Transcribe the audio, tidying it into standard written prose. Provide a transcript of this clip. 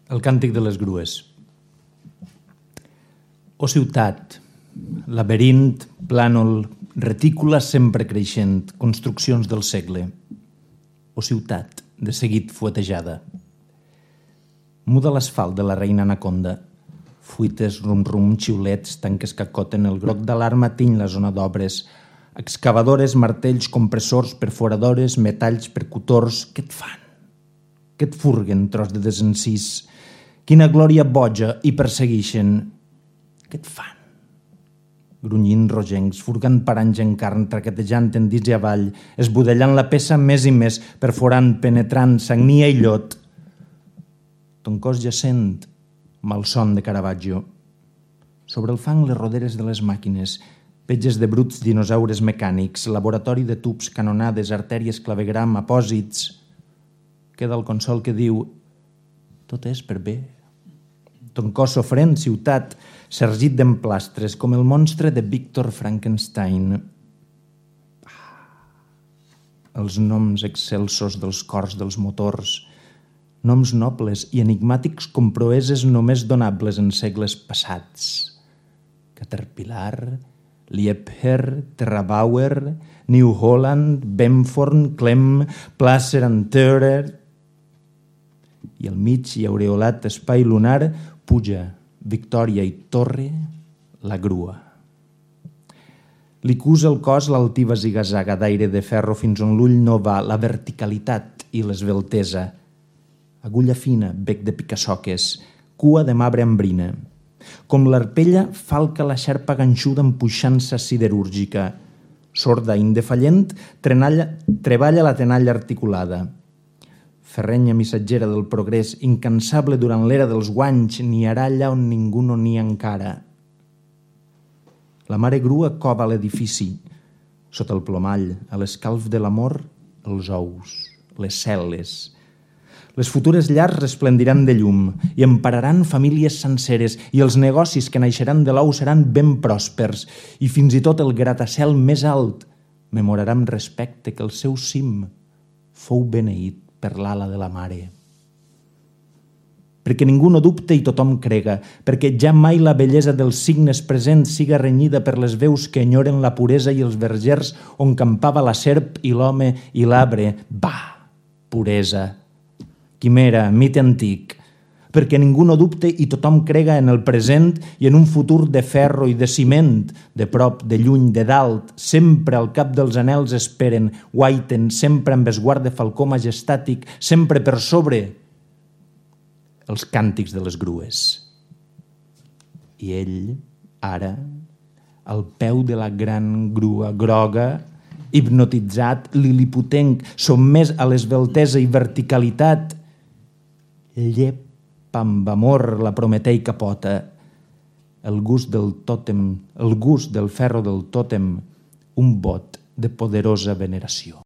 El càntic de les grues. O ciutat, laberint, plànol, retícula sempre creixent, construccions del segle. O ciutat, de seguit fuetejada. Muda l'asfalt de la reina anaconda. Fuites, rum-rum, xiulets, tanques que acoten, el groc d'alarma tiny la zona d'obres. Excavadores, martells, compressors, perforadores, metalls, percutors, què et fan? Què et furguen, tros de desencís? Quina glòria boja i perseguixen? Què et fan? Grunyint rogencs, furgant paranys en carn, traquetejant en dits i avall, esbudellant la peça més i més, perforant, penetrant, sagnia i llot. Ton cos jacent, malson de Caravaggio. Sobre el fang les roderes de les màquines, petges de bruts dinosaures mecànics, laboratori de tubs, canonades, artèries, clavegram, apòsits. Queda el consol que diu: tot és per bé. Ton cos sofrent, ciutat, sergit d'emplastres, com el monstre de Víctor Frankenstein. Els noms excelsos dels cors dels motors, noms nobles i enigmàtics com proeses només donables en segles passats. Caterpillar, Liebherr, Terrabauer, New Holland, Benforn, Clem, Placer and Theurer. I al mig i aureolat espai lunar puja, Victòria i Torre, la grua. Li cusa el cos l'altiva zigazaga d'aire de ferro fins on l'ull no va, la verticalitat i l'esveltesa. Agulla fina, bec de picasoques, cua de marbre ambrina. Com l'arpella, falca la xarpa ganxuda amb puixança siderúrgica. Sorda, indefallent, treballa la tenalla articulada. Ferrenya missatgera del progrés, incansable durant l'era dels guanys, niarà allà on ningú no nia encara. La mare grua cova l'edifici. Sota el plomall, a l'escalf de l'amor, els ous, les cel·les. Les futures llars resplendiran de llum i empararan famílies senceres i els negocis que naixeran de l'ou seran ben pròspers i fins i tot el gratacel més alt memorarà amb respecte que el seu cim fou beneït per l'ala de la mare. Perquè ningú no dubte i tothom crega, perquè ja mai la bellesa dels signes presents siga renyida per les veus que enyoren la puresa i els vergers on campava la serp i l'home i l'arbre. Bah, puresa! Quimera, mite antic, perquè ningú no dubte i tothom crega en el present i en un futur de ferro i de ciment, de prop, de lluny, de dalt, sempre al cap dels anels esperen, guaiten, sempre amb esguard de falcó majestàtic, sempre per sobre els càntics de les grues. I ell, ara, al peu de la gran grua groga, hipnotitzat, liliputenc, sotmès a l'esveltesa i verticalitat, llepa amb amor la prometeica pota, el gust del tòtem, el gust del ferro del tòtem, un bot de poderosa veneració.